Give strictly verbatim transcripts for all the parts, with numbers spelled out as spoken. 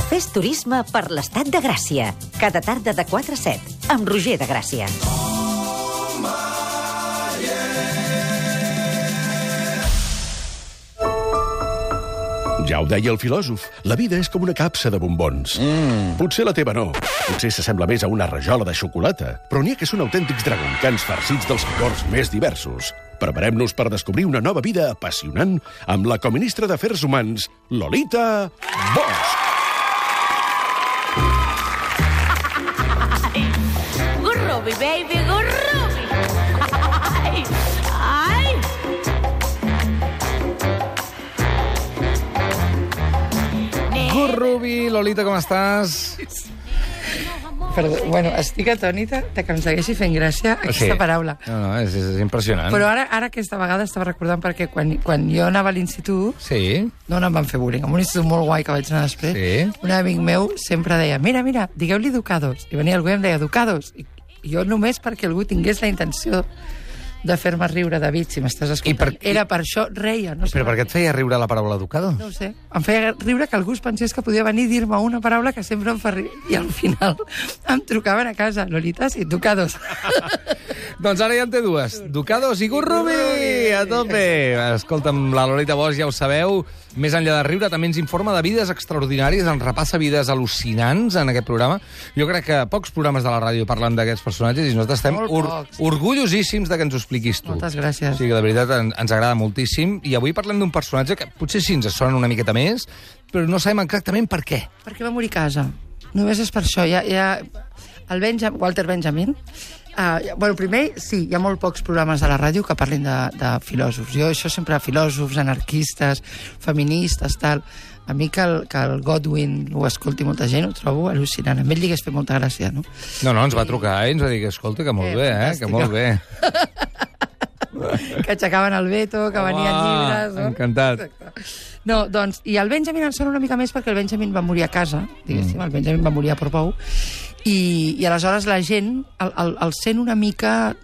Fes turisme per l'Estat de Gràcia. Cada tarda de quatre a set, amb Roger de Gràcia. Ja ho deia el filòsof, la vida és com una capsa de bombons. Mm. Potser la teva no, potser s'assembla més a una rajola de xocolata, però n'hi ha que són autèntics dragoncans farcits dels sabors més diversos. Preparem-nos per descobrir una nova vida apassionant amb la coministra d'Afers Humans, Lolita Bosch. Gurrubi, baby, gurrubi. Ai, ai. Gurrubi, Lolita, com estàs? Perdó, bueno, estic atònita de que em segueixi fent gràcia aquesta Sí. paraula. No, no, és, és impressionant. Però ara, ara aquesta vegada estava recordant perquè quan, quan jo anava a l'institut, Sí, no, no em van fer bullying, en un institut molt guai que vaig anar després, Sí. un amic meu sempre deia, mira, mira, digueu-li educados. I venia algú i em deia, educados. I, i jo només perquè algú tingués la intenció de fer-me riure, David, si m'estàs escoltant. I per- Era per això, reia. No sé però per què et feia riure la paraula educado? No ho sé. Em feia riure que algú es pensés que podia venir a dir-me una paraula que sempre em fa riure. I al final em trucaven a casa. Lolita, sí, educados. Doncs ara ja en té dues. Ducados i Gurrubi! A tope! Escolta'm, la Lolita Bosch, ja ho sabeu, més enllà de riure, també ens informa de vides extraordinàries, ens repassa vides al·lucinants en aquest programa. Jo crec que pocs programes de la ràdio parlen d'aquests personatges i nosaltres estem Molt or pocs. orgullosíssims de que ens ho expliquis tu. Moltes gràcies. O sigui, de veritat, en, ens agrada moltíssim. I avui parlem d'un personatge que potser sí ens sona una miqueta més, però no sabem exactament per què. Perquè va morir a casa. Només és per això. Hi ha, hi ha el Benjam, Walter Benjamin. Uh, bueno, primer, sí, hi ha molt pocs programes de la ràdio que parlin de, de filòsofs. Jo això sempre, filòsofs, anarquistes, feministes, tal. A mi que el, que el Godwin ho escolti molta gent, ho trobo al·lucinant. A ell li hagués fet molta gràcia, no? No, no, ens va trucar i ens va dir que, escolta, que molt Eh, bé, eh? Que fantàstica. molt bé. Que aixecaven el veto, que venien llibres... No? Encantat. Exacte. No, doncs, i el Benjamin em sona una mica més perquè el Benjamin va morir a casa, diguéssim, mm. el Benjamin va morir a Portbou, i, i aleshores la gent el, el, el sent una mica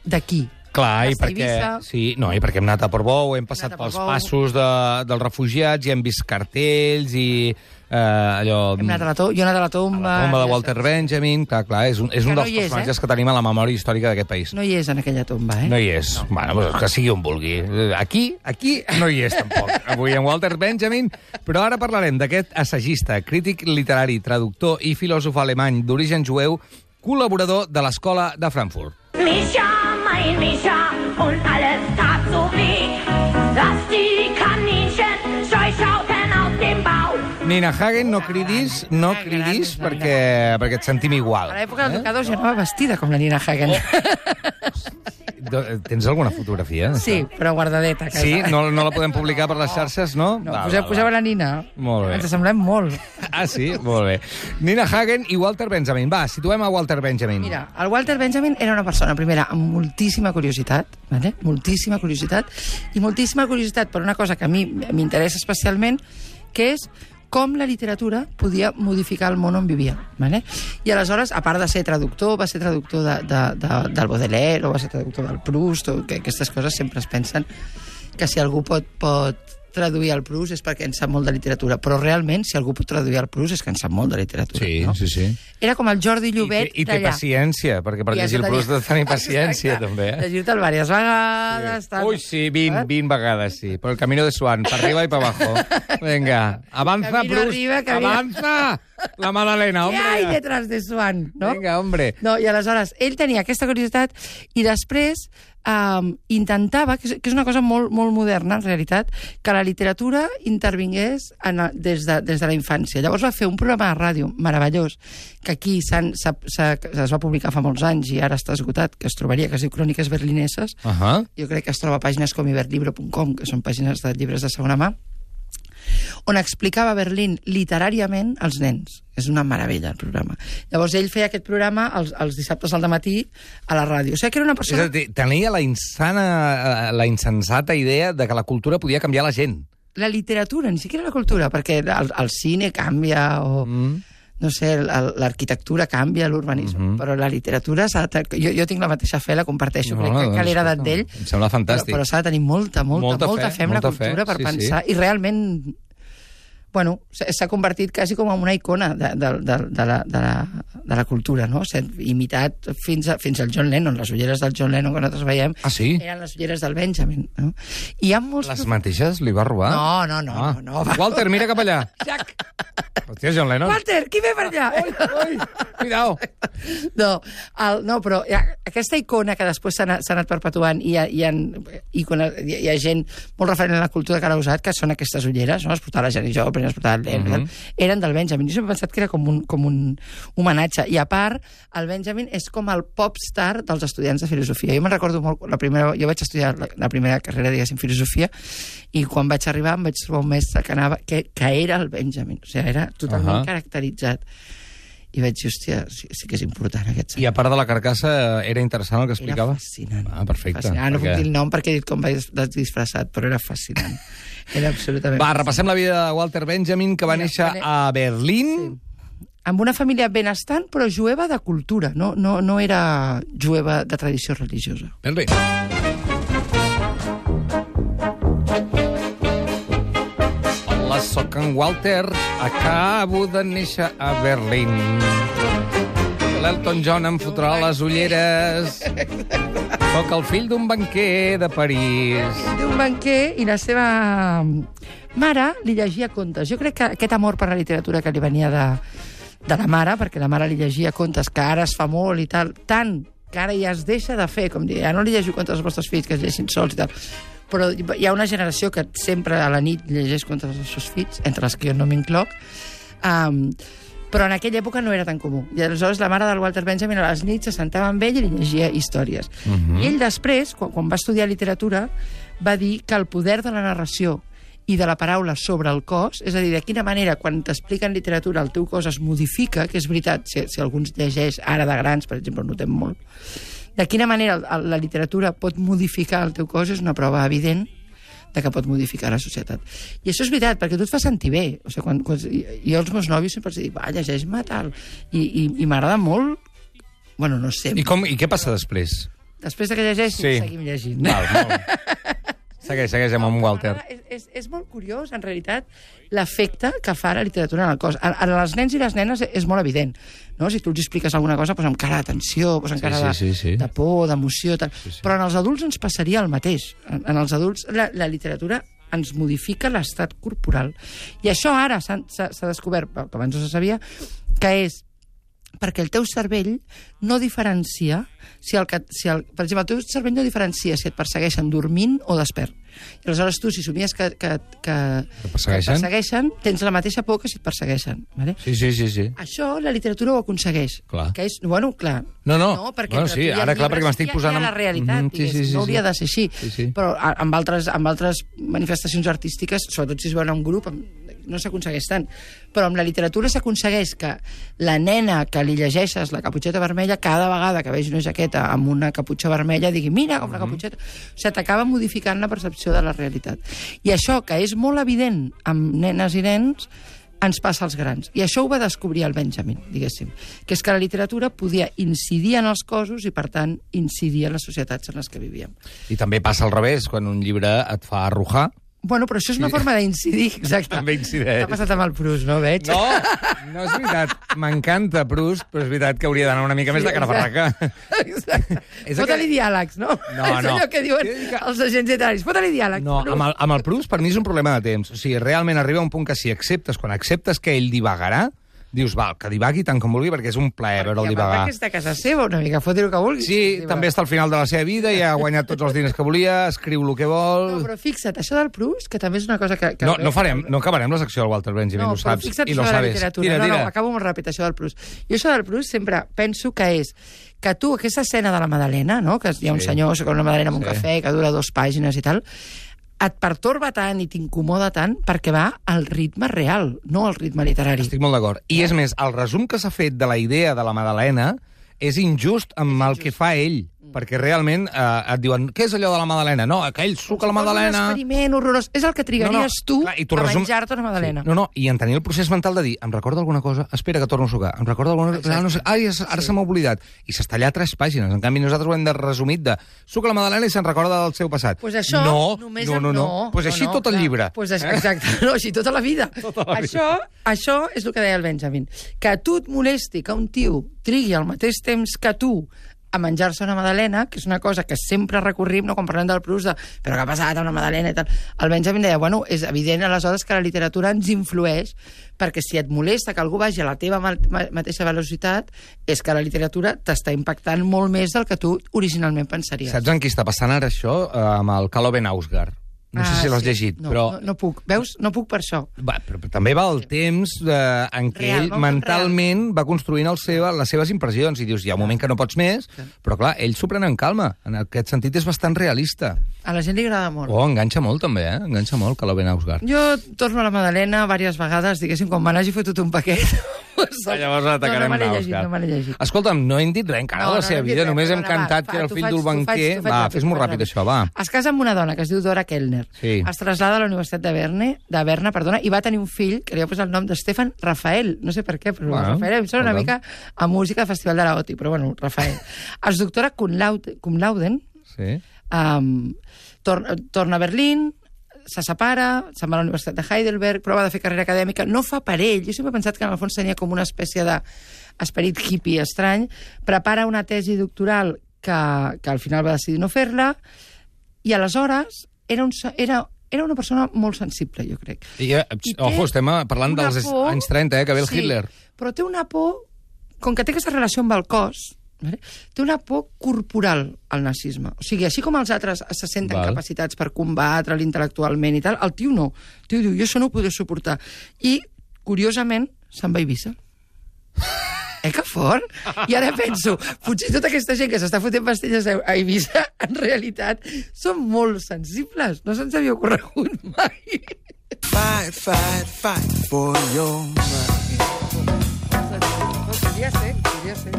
d'aquí. Clar, i Hasta perquè, Eivissa. sí, no, i perquè hem anat a Portbou, hem passat Hem anat a pels Portbou. passos de, dels refugiats i hem vist cartells i eh, allò... Hem anat a la to jo he anat a la tomba... La tomba de Walter Benjamin, clar, clar, és un, és Que un no dels hi és, personatges eh? que tenim a la memòria històrica d'aquest país. No hi és en aquella tomba, eh? No hi és. No. Bueno, pues que sigui on vulgui. Aquí, aquí no hi és, tampoc. Avui en Walter Benjamin. Però ara parlarem d'aquest assagista, crític literari, traductor i filòsof alemany d'origen jueu, col·laborador de l'Escola de Frankfurt. Mischa, mein Mischa, und alles tat so weh, dass die Kaninchen scheu schauten auf dem Bau. Nina Hagen, no cridis, no cridis, perquè, perquè et sentim igual. A l'època del Ducados jo anava vestida com la Nina Hagen. Tens alguna fotografia? Sí, però guardadeta a casa. Sí? No, no la podem publicar per les xarxes, no? No, Va, poseu, va, va. poseu la Nina. Molt bé. Ens semblem molt. Ah, sí? Molt bé. Nina Hagen i Walter Benjamin. Va, situem a Walter Benjamin. Mira, el Walter Benjamin era una persona, primera, amb moltíssima curiositat, vale? moltíssima curiositat, i moltíssima curiositat per una cosa que a mi m'interessa especialment, que és com la literatura podia modificar el món on vivia. Vale? I aleshores, a part de ser traductor, va ser traductor de, de, de, del Baudelaire, o va ser traductor del Proust, o que aquestes coses sempre es pensen que si algú pot, pot traduir el Proust és perquè en sap molt de literatura, però realment, si algú pot traduir el Proust és que en sap molt de literatura. Sí, no? sí, sí. Era com el Jordi Llobet I, i té d'allà. paciència, perquè per I llegir el has de Proust has de tenir paciència, Exacte. també. Eh? Llegir-te'l diverses vegades. Tal. Ui, sí, vint, vint vegades, sí. Por el camino de Swan, para arriba y para abajo. Venga, avanza, Camino Proust, arriba, camino- avanza! La Madalena, Què hombre. hay detrás de Swan? No? Venga, hombre. No, i aleshores, ell tenia aquesta curiositat i després um, intentava, que és, que és una cosa molt, molt moderna, en realitat, que la literatura intervingués en, a- des, de, des de la infància. Llavors va fer un programa de ràdio meravellós, que aquí s'han- s'ha- s'ha- es va publicar fa molts anys i ara està esgotat, que es trobaria, que es diu Cròniques Berlineses. Uh -huh. Jo crec que es troba a pàgines com iberlibro punt com, que són pàgines de llibres de segona mà, on explicava Berlín literàriament als nens. És una meravella, el programa. Llavors, ell feia aquest programa els, els dissabtes al matí a la ràdio. O sigui que era una És persona... a dir, tenia la insana, la insensata idea de que la cultura podia canviar la gent. La literatura, ni siquiera la cultura, perquè el, el cine canvia, o... Mm. no sé, el- el- l'arquitectura canvia, l'urbanisme, Mhm. però la literatura s'ha de... Jo, jo tinc la mateixa fe, la comparteixo, No, crec que, que l'he escolta, heredat d'ell, em sembla fantàstic. però, però s'ha de tenir molta, molta, Molta molta, fe, fe en la molta cultura fe, per sí, pensar, sí. i realment bueno, s'ha convertit quasi com en una icona de, de, de, de, la, de, la, de la cultura, no? S'ha imitat fins, a, fins al John Lennon. Les ulleres del John Lennon que nosaltres veiem ah, sí? eren les ulleres del Benjamin. No? I hi ha molts... Les mateixes li va robar? No, no, no. Ah. no, no Walter, mira cap allà. Jack. Hòstia, John Lennon. Walter, qui ve per allà? Oi, oi, cuidao. No, el, no, però hi ha, aquesta icona que després s'ha anat, anat perpetuant i hi ha, hi, ha, icona, hi, hi ha gent molt referent a la cultura que l'ha usat, que són aquestes ulleres, no? Les portava la Janis Joplin, les portava el Lennon, uh -huh. eren del Benjamin. Jo sempre he pensat que era com un, com un homenatge. I a part, el Benjamin és com el popstar dels estudiants de filosofia. Jo me'n recordo molt, la primera, jo vaig estudiar la, la primera carrera, diguéssim, filosofia, i quan vaig arribar em vaig trobar un mestre que, anava, que, que era el Benjamin. O sigui, era totalment uh -huh. caracteritzat. I vaig dir, hòstia, sí, sí que és important aquest senyor. I a part de la carcassa, era interessant el que explicava? Era fascinant. Ah, perfecte. Fascinant. Ah, no perquè... puc dir el nom perquè he dit com vaig disfressat, però era fascinant. Era absolutament... Va, repassem la vida de Walter Benjamin, que va Mira, néixer vale. a Berlín. Sí. Amb una família benestant, però jueva de cultura. No, no, no era jueva de tradició religiosa. Berlín. Hola, soc en Walter. Acabo de néixer a Berlín. L'Elton John em fotrà les ulleres. Soc el fill d'un banquer de París. D'un banquer, i la seva mare li llegia contes. Jo crec que aquest amor per la literatura que li venia de, de la mare, perquè la mare li llegia contes, que ara es fa molt i tal, tant que ara ja es deixa de fer, com dir, ja no li llegiu contes als vostres fills, que es llegeixin sols i tal. Però hi ha una generació que sempre a la nit llegeix contes als seus fills, entre les que jo no m'incloc, um, però en aquella època no era tan comú. I aleshores la mare del Walter Benjamin a les nits se sentava amb ell i li llegia històries. Uh-huh. I ell després, quan, quan va estudiar literatura, va dir que el poder de la narració i de la paraula sobre el cos, és a dir, de quina manera, quan t'expliquen literatura, el teu cos es modifica, que és veritat, si, si alguns llegeix ara de grans, per exemple, ho notem molt, de quina manera la literatura pot modificar el teu cos és una prova evident de que pot modificar la societat. I això és veritat, perquè tu et fa sentir bé. O sigui, quan, quan, jo als meus nòvios sempre els dic, va, llegeix-me tal. I, i, i m'agrada molt... Bueno, no sé. I, com, I què passa després? Després de que llegeixi, sí. seguim llegint. Val, molt. Segueix, segueix amb en Walter. És, és, és molt curiós, en realitat, l'efecte que fa la literatura en el cos. A, a les nens i les nenes és molt evident. No? Si tu els expliques alguna cosa, pues, amb cara d'atenció, pues, amb cara sí, sí, sí, sí. de, de por, d'emoció... Tal. Sí, sí. Però en els adults ens passaria el mateix. En, en els adults la, la literatura ens modifica l'estat corporal. I això ara s'ha descobert, que abans no se sabia, que és perquè el teu cervell no diferencia si el, si el, per exemple, el teu cervell no diferencia si et persegueixen dormint o despert. I aleshores tu, si somies que, que, que, que persegueixen? persegueixen, tens la mateixa por que si et persegueixen. Vale? Sí, sí, sí, sí. Això la literatura ho aconsegueix. Clar. Que és, bueno, clar. No, no. no perquè bueno, sí, ara clar, perquè m'estic posant... Hi ha la realitat, mm -hmm, sí, sí, sí, no hauria sí. de ser així. Sí, sí. Però amb altres, amb altres manifestacions artístiques, sobretot si es veuen en grup, no s'aconsegueix tant. Però amb la literatura s'aconsegueix que la nena que li llegeixes la caputxeta vermella, cada vegada que vegi una jaqueta amb una caputxa vermella, digui, mira, com la caputxeta... O sigui, t'acaba modificant la percepció de la realitat. I això, que és molt evident amb nenes i nens, ens passa als grans. I això ho va descobrir el Benjamin, diguéssim, que és que la literatura podia incidir en els cossos i, per tant, incidir en les societats en les que vivíem. I també passa al revés, quan un llibre et fa arrojar. Bueno, però això és una forma d'incidir, exacte. També incideix. T'ha passat amb el Proust, no, veig? No, no és veritat. M'encanta Proust, però és veritat que hauria d'anar una mica més de cara barraca. Exacte. Fota-li diàlegs, no? No, és no. allò que diuen els agents literaris. Fota-li diàlegs. No, amb el, amb el Proust per mi és un problema de temps. O sigui, realment arriba un punt que si acceptes, quan acceptes que ell divagarà, dius, val, que divagui tant com vulgui, perquè és un plaer veure'l divagar. I a part que està a casa seva, una mica, fot-hi el que vulgui. Sí, també està al final de la seva vida, ja ha guanyat tots els diners que volia, escriu el que vol... No, però fixa't, això del Proust, que també és una cosa que... que no, no, farem, no acabarem la secció del Walter Benjamin, no, ho saps, fixa't i lo això de la sabes. literatura. Tira, no, tira. no, acabo molt ràpid, això del Proust. Jo això del Proust sempre penso que és que tu, aquesta escena de la Madalena, no? Que hi ha un Sí. senyor que una Madalena amb un Sí. cafè, que dura dues pàgines i tal, et pertorba tant i t'incomoda tant perquè va al ritme real, no al ritme literari. Estic molt d'acord. I és més, el resum que s'ha fet de la idea de la Madalena és injust amb el que fa ell. perquè realment eh, et diuen què és allò de la magdalena? No, aquell suc a la magdalena... És un experiment horrorós. És el que trigaries No, no, tu clar, i tu a resum- menjar-te una magdalena. Sí. No, no, i en tenir el procés mental de dir em recorda alguna cosa, espera que torno a sucar, em recorda alguna cosa, ah, no sé, ai, ara se m'ha oblidat. I s'està allà tres pàgines. En canvi, nosaltres ho hem de resumit de suc a la magdalena i se'n recorda del seu passat. Pues això, no, només no, no, no. no, Pues no, així no, tot el clar. llibre. Pues és, eh? exacte, no, així tota la vida. Tota la vida. Això, això és el que deia el Benjamin. Que a tu et molesti que un tio trigui al mateix temps que tu a menjar-se una magdalena, que és una cosa que sempre recorrim, no, quan parlem del plus de però què ha passat amb una magdalena i tal. El Benjamin deia, bueno, és evident aleshores que la literatura ens influeix, perquè si et molesta que algú vagi a la teva ma ma mateixa velocitat, és que la literatura t'està impactant molt més del que tu originalment pensaries. Saps en qui està passant ara això? Eh, amb el Calo Benausgar. No sé Ah, si l'has sí. llegit, no, però... No, no puc. Veus? No puc per això. Va, però, però també va el temps eh, en què Real, ell molt mentalment va construint el seva, les seves impressions i dius, hi ha un moment que no pots més, però clar, ell s'ho pren en calma. En aquest sentit és bastant realista. A la gent li agrada molt. Oh, enganxa molt també, eh? Enganxa molt, Calo Benausgar. Jo torno a la magdalena diverses vegades, diguéssim, quan me n'hagi fotut un paquet. Ah, llavors atacarem no, no me l'he llegit, Nausgar. no me l'he llegit. Escolta'm, no hem dit res encara No, de la no, seva no hem dit vida, res, només hem perdona, cantat va, que era el t'ho fill faig- del t'ho faig- banquer. t'ho faig Va, ràpid, fes-m'ho t'ho faig ràpid, ràpid. això, va. Es casa amb una dona que es diu Dora Kellner. Sí. Es trasllada a la Universitat de Berne, de Berna, perdona, i va tenir un fill que li va posar el nom de Stefan Rafael. No sé per què, però Bueno, Rafael em sona una escolta. mica a música de Festival de la O T I, però bueno, Rafael. Es doctora cum laude, cum lauden, Sí. um, torna, torna a Berlín, se separa, se'n va a la Universitat de Heidelberg, prova de fer carrera acadèmica, no fa per ell. Jo sempre he pensat que en el fons tenia com una espècie d'esperit hippie estrany, prepara una tesi doctoral que, que al final va decidir no fer-la, i aleshores era, un, era, era una persona molt sensible, jo crec. I, eh, I té ojo, estem parlant una dels por- anys trenta, eh, que ve el Sí, Hitler. però té una por, com que té aquesta relació amb el cos, vale? Té una por corporal al nazisme. O sigui, així com els altres se senten Val. capacitats per combatre intel·lectualment i tal, el tio no. El tio diu, jo això no ho podré suportar. I, curiosament, se'n va a Eivissa. Eh, que fort? I ara penso, potser tota aquesta gent que s'està fotent pastilles a Eivissa, en realitat, són molt sensibles. No se'ns havia ocorregut mai. Fight, fight, fight for your mind. Podria ser, podria ser.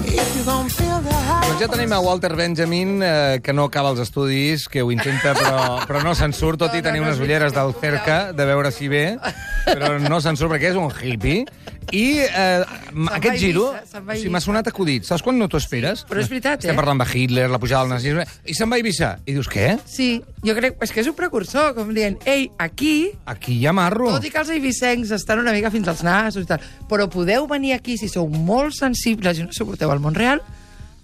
If you're gonna feel the high. Doncs ja tenim a Walter Benjamin, eh, que no acaba els estudis, que ho intenta, però, però no se'n surt, tot No, i no, tenir no unes és ulleres del veritat, cerca, de veure si ve, però no se'n surt perquè és un hippie. I eh, va aquest a giro, Eivissa, se'n va a o sigui, m'ha Eivissa. sonat acudit. Saps quan no t'ho esperes? Però és veritat, Estem eh? parlant de Hitler, la pujada del nazisme, i se'n va a Eivissa. I dius, què? Sí, jo crec... És que és un precursor, com dient, ei, aquí, Aquí hi ha marro. tot i que els eivissencs estan una mica fins als nassos i tal, però podeu venir aquí si sou molt sensibles i no suporteu el món real,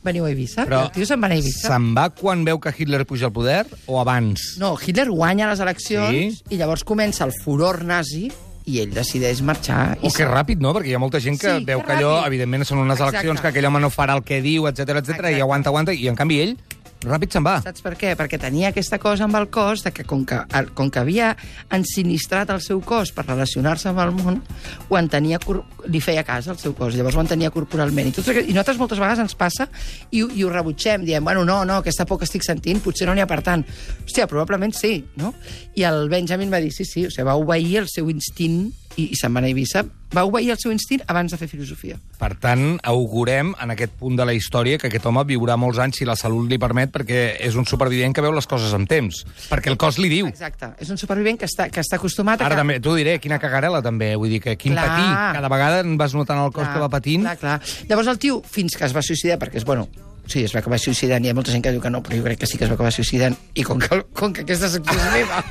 veniu a Eivissa. Però I el tio se'n va anar a Eivissa. se'n va quan veu que Hitler puja al poder o abans? No, Hitler guanya les eleccions Sí. i llavors comença el furor nazi i ell decideix marxar. O i que se'n- ràpid, no? Perquè hi ha molta gent que Sí, veu que que allò, ràpid. evidentment, són unes Exacte. eleccions que aquell home no farà el que diu, etcètera, etcètera, i Exacte. aguanta, aguanta, i en canvi ell ràpid se'n va. Saps per què? Perquè tenia aquesta cosa amb el cos, de que com que, el- com que havia ensinistrat el seu cos per relacionar-se amb el món, ho entenia, cor- li feia cas al seu cos, llavors ho entenia corporalment. I, tot, això- i nosaltres moltes vegades ens passa i, ho- i ho rebutgem, diem, bueno, no, no, aquesta por que estic sentint, potser no n'hi ha per tant. Hòstia, probablement sí, no? I el Benjamin va dir, sí, sí, o sigui, va obeir el seu instint i, i se'n va anar a Eivissa, va obeir el seu instint abans de fer filosofia. Per tant, augurem en aquest punt de la història que aquest home viurà molts anys si la salut li permet, perquè és un supervivent que veu les coses amb temps. Perquè el cos li diu. Exacte, és un supervivent que està, que està acostumat a... Ara que... també, t'ho diré, quina cagarela també, vull dir que quin Clar. patir. Cada vegada en vas notant el cos que va patint. Clar, clar. Llavors el tio, fins que es va suïcidar, perquè és, bueno, sí, es va acabar suïcidant, hi ha molta gent que diu que no, però jo crec que sí que es va acabar suïcidant, i com que, com que aquesta secció és meva,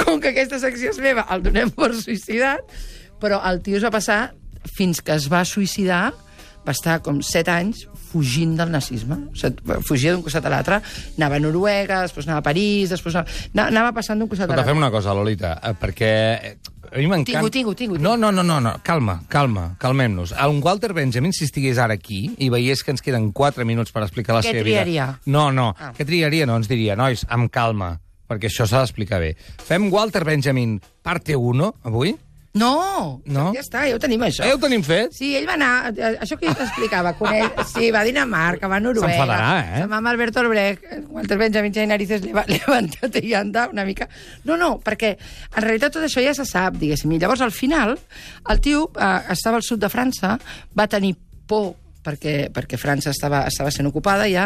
com que aquesta secció és meva, el donem per suïcidat, però el tio es va passar, fins que es va suïcidar, va estar com set anys fugint del nazisme. O sigui, fugia d'un costat a l'altre, anava a Noruega, després anava a París, després anava, anava passant d'un costat a Escolta, l'altre. fem una cosa, Lolita, eh, perquè eh, a mi m'encanta... Tingo, tingo, tingo, No, no, no, no, no, calma, calma, calmem-nos. Un Walter Benjamin, si estigués ara aquí i veiés que ens queden quatre minuts per explicar la Què seva triaria? vida... No, no, Ah. què triaria? No, ens diria, nois, amb calma, perquè això s'ha d'explicar bé. Fem Walter Benjamin parte uno, avui, No, No? ja està, ja ho tenim, això. Eh, ho tenim fet? Sí, ell va anar... eh, Això que jo t'explicava, quan ell... Sí, va a Dinamarca, va a Noruega... S'enfadarà, eh? Se'n va amb Alberto Albrecht, Walter Benjamin i narices levantat i anda una mica... No, no, perquè en realitat tot això ja se sap, diguéssim. I llavors, al final, el tio eh, estava al sud de França, va tenir por perquè, perquè França estava, estava sent ocupada ja,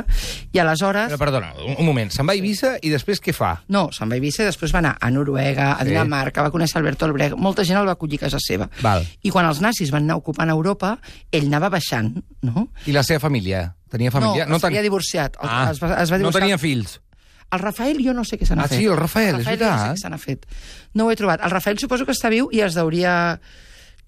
i aleshores... Però, perdona, un, un moment. Se'n va a Eivissa i després què fa? No, se'n va a Eivissa i després va anar a Noruega, a Sí. Dinamarca, va conèixer Alberto Albrecht, molta gent el va acollir a casa seva. Val. I quan els nazis van anar ocupant Europa, ell anava baixant, no? I la seva família? Tenia família? No, s'havia ten- divorciat. El- Ah, es va, es va no divorciar. tenia fills? El Rafael jo no sé què se n'ha Ah, fet. sí, el Rafael, és el Rafael jo no sé veritat. què se n'ha fet. No ho he trobat. El Rafael suposo que està viu i es deuria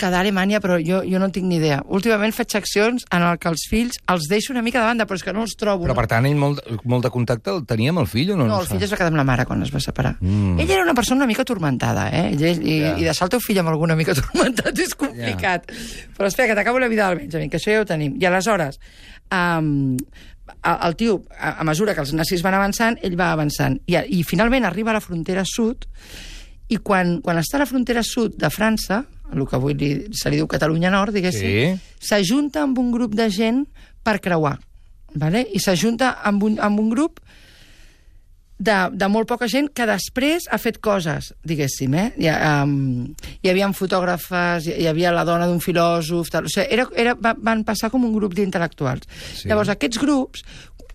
quedar a Alemanya, però jo, jo no en tinc ni idea. Últimament faig accions en el que els fills els deixo una mica de banda, però és que no els trobo. Però, no? per tant, ell molt, molt de contacte el tenia amb el fill o no? No, No el ho fill sap? es va quedar amb la mare quan es va separar. Mm. Ell era una persona una mica turmentada, eh? Ell, i, Ja. I deixar el teu fill amb alguna mica turmentat és complicat. Però espera, que t'acabo la vida del Benjamin, que això ja ho tenim. I aleshores, um, el, el tio, a, a mesura que els nazis van avançant, ell va avançant. I, i finalment arriba a la frontera sud, i quan, quan està a la frontera sud de França, el que avui li, se li diu Catalunya Nord, diguéssim, Sí. s'ajunta amb un grup de gent per creuar. Vale? I s'ajunta amb, un, amb un grup de, de molt poca gent que després ha fet coses, diguéssim, eh? Hi, ha, um, hi havia fotògrafes, hi, hi havia la dona d'un filòsof... Tal. O sigui, era, era, va, van passar com un grup d'intel·lectuals. Sí. Sí. Llavors, aquests grups,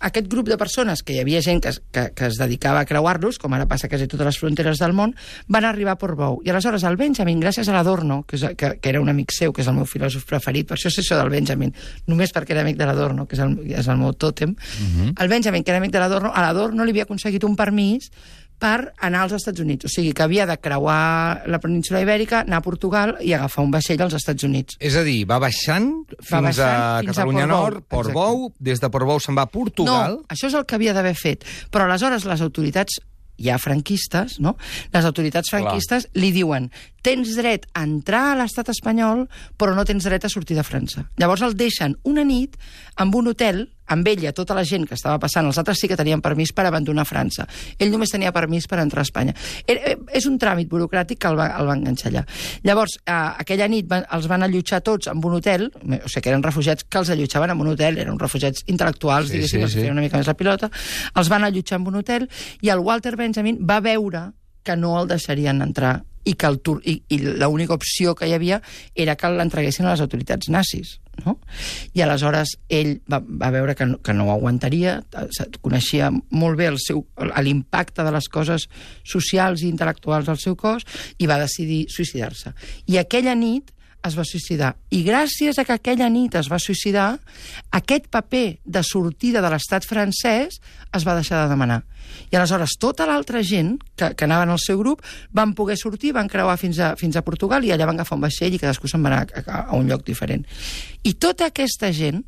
aquest grup de persones, que hi havia gent que, es- que, que es dedicava a creuar-los, com ara passa a quasi totes les fronteres del món, van arribar a Portbou. I aleshores el Benjamin, gràcies a l'Adorno, que, és, que, que era un amic seu, que és el meu filòsof preferit, per això sé això del Benjamin, només perquè era amic de l'Adorno, que és el, és el meu tòtem, uh-huh. El Benjamin, que era amic de l'Adorno, a l'Adorno li havia aconseguit un permís per anar als Estats Units. O sigui, que havia de creuar la península Ibèrica, anar a Portugal i agafar un vaixell als Estats Units. És a dir, va baixant fins Va baixant a fins a Catalunya Portbou, Nord, Portbou, des de Portbou se'n va a Portugal... No, això és el que havia d'haver fet. Però aleshores les autoritats ja franquistes, no? Les autoritats franquistes Clar. li diuen tens dret a entrar a l'estat espanyol, però no tens dret a sortir de França. Llavors el deixen una nit amb un hotel, amb ella, tota la gent que estava passant, els altres sí que tenien permís per abandonar França. Ell només tenia permís per entrar a Espanya. Era, és un tràmit burocràtic que el va, el va enganxar allà. Llavors, eh, aquella nit van, els van allotjar tots en un hotel, o sigui que eren refugiats que els allotjaven en un hotel, eren refugiats intel·lectuals, Sí, diguéssim, sí, els sí. feien una mica més la pilota, els van allotjar en un hotel i el Walter Benjamin va veure que no el deixarien entrar i que el tur i, i l'única opció que hi havia era que l'entreguessin a les autoritats nazis, no? I aleshores ell va, va veure que no, que no ho aguantaria, coneixia molt bé el seu l'impacte de les coses socials i intel·lectuals del seu cos i va decidir suïcidar-se. I aquella nit es va suïcidar. I gràcies a que aquella nit es va suïcidar, aquest paper de sortida de l'estat francès es va deixar de demanar. I aleshores tota l'altra gent que, que anaven al seu grup van poder sortir, van creuar fins a, fins a Portugal i allà van agafar un vaixell i cadascú se'n va anar a, a un lloc diferent. I tota aquesta gent,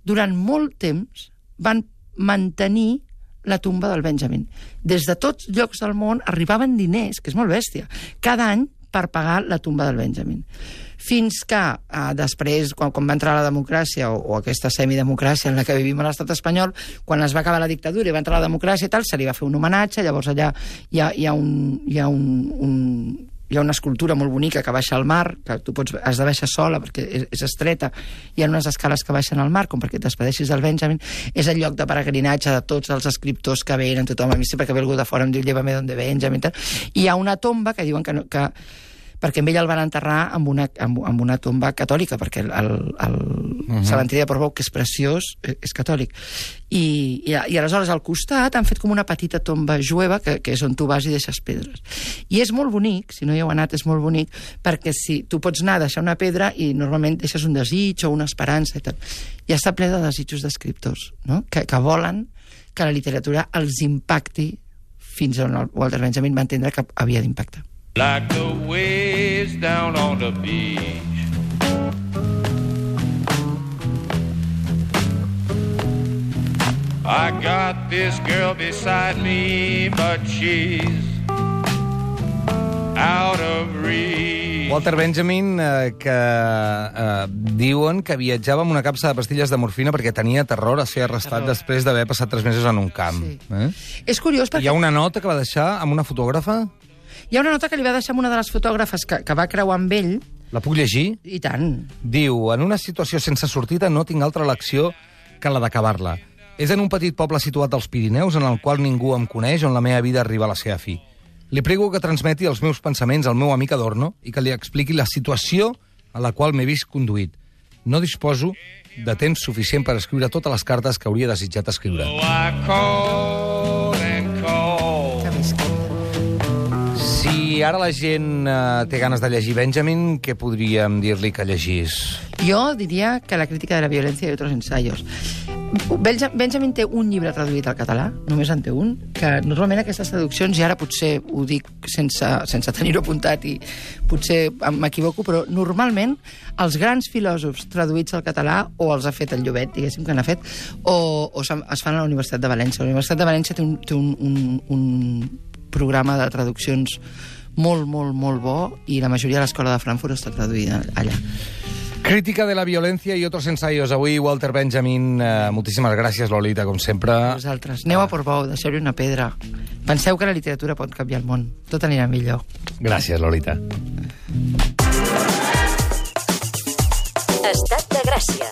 durant molt temps, van mantenir la tumba del Benjamin. Des de tots llocs del món arribaven diners, que és molt bèstia, cada any per pagar la tumba del Benjamin. Fins que eh, després, quan, quan va entrar la democràcia, o, o aquesta semidemocràcia en la que vivim a l'estat espanyol, quan es va acabar la dictadura i va entrar la democràcia i tal, se li va fer un homenatge, llavors allà hi ha, hi ha, un, hi ha un, un hi ha una escultura molt bonica que baixa al mar, que tu pots, has de baixar sola perquè és, és estreta, hi ha unes escales que baixen al mar, com perquè et despedeixis del Benjamin, és el lloc de peregrinatge de tots els escriptors que venen, tothom, a mi sempre que ve algú de fora em diu llévame donde Benjamin, tal. I hi ha una tomba que diuen que, no, que perquè amb ell el van enterrar amb una, amb, amb una tomba catòlica, perquè el, el, el uh-huh. cementiri de Portbou, que és preciós, és catòlic. I, i, i aleshores al costat han fet com una petita tomba jueva, que, que és on tu vas i deixes pedres. I és molt bonic, si no hi heu anat és molt bonic, perquè si tu pots anar a deixar una pedra i normalment deixes un desig o una esperança i tal. I està ple de desitjos d'escriptors, no? que, que volen que la literatura els impacti fins on el Walter Benjamin va entendre que havia d'impactar. Like the waves down on the beach. I got this girl beside me, but she's out of reach. Walter Benjamin, eh, que eh, diuen que viatjava amb una capsa de pastilles de morfina perquè tenia terror a ser arrestat terror. després d'haver passat tres mesos en un camp. Sí. Eh? És curiós perquè... Hi ha una nota que va deixar amb una fotògrafa? Hi ha una nota que li va deixar amb una de les fotògrafes que, que va creuar amb ell, La puc llegir? i tant. Diu, en una situació sense sortida no tinc altra elecció que la d'acabar-la. És en un petit poble situat als Pirineus en el qual ningú em coneix, on la meva vida arriba a la seva fi. Li prego que transmeti els meus pensaments al meu amic Adorno i que li expliqui la situació a la qual m'he vist conduït. No disposo de temps suficient per escriure totes les cartes que hauria desitjat escriure. So I called and called. Que visca. Si ara la gent eh, té ganes de llegir Benjamin, què podríem dir-li que llegís? Jo diria que la crítica de la violència i altres ensaios. Benja- Benjamin té un llibre traduït al català, només en té un, que normalment aquestes traduccions, i ara potser ho dic sense, sense tenir-ho apuntat i potser m'equivoco, però normalment els grans filòsofs traduïts al català o els ha fet el Llobet, diguéssim que n'ha fet, o, o es fan a la Universitat de València. La Universitat de València té un, té un, un, un programa de traduccions molt, molt, molt bo i la majoria de l'escola de Frankfurt està traduïda allà. Crítica de la violència i otros ensayos. Avui, Walter Benjamin, eh, moltíssimes gràcies, Lolita, com sempre. Vosaltres, aneu a Portbou, deixeu-hi una pedra. Penseu que la literatura pot canviar el món. Tot anirà millor. Gràcies, Lolita. Estat de Gràcia.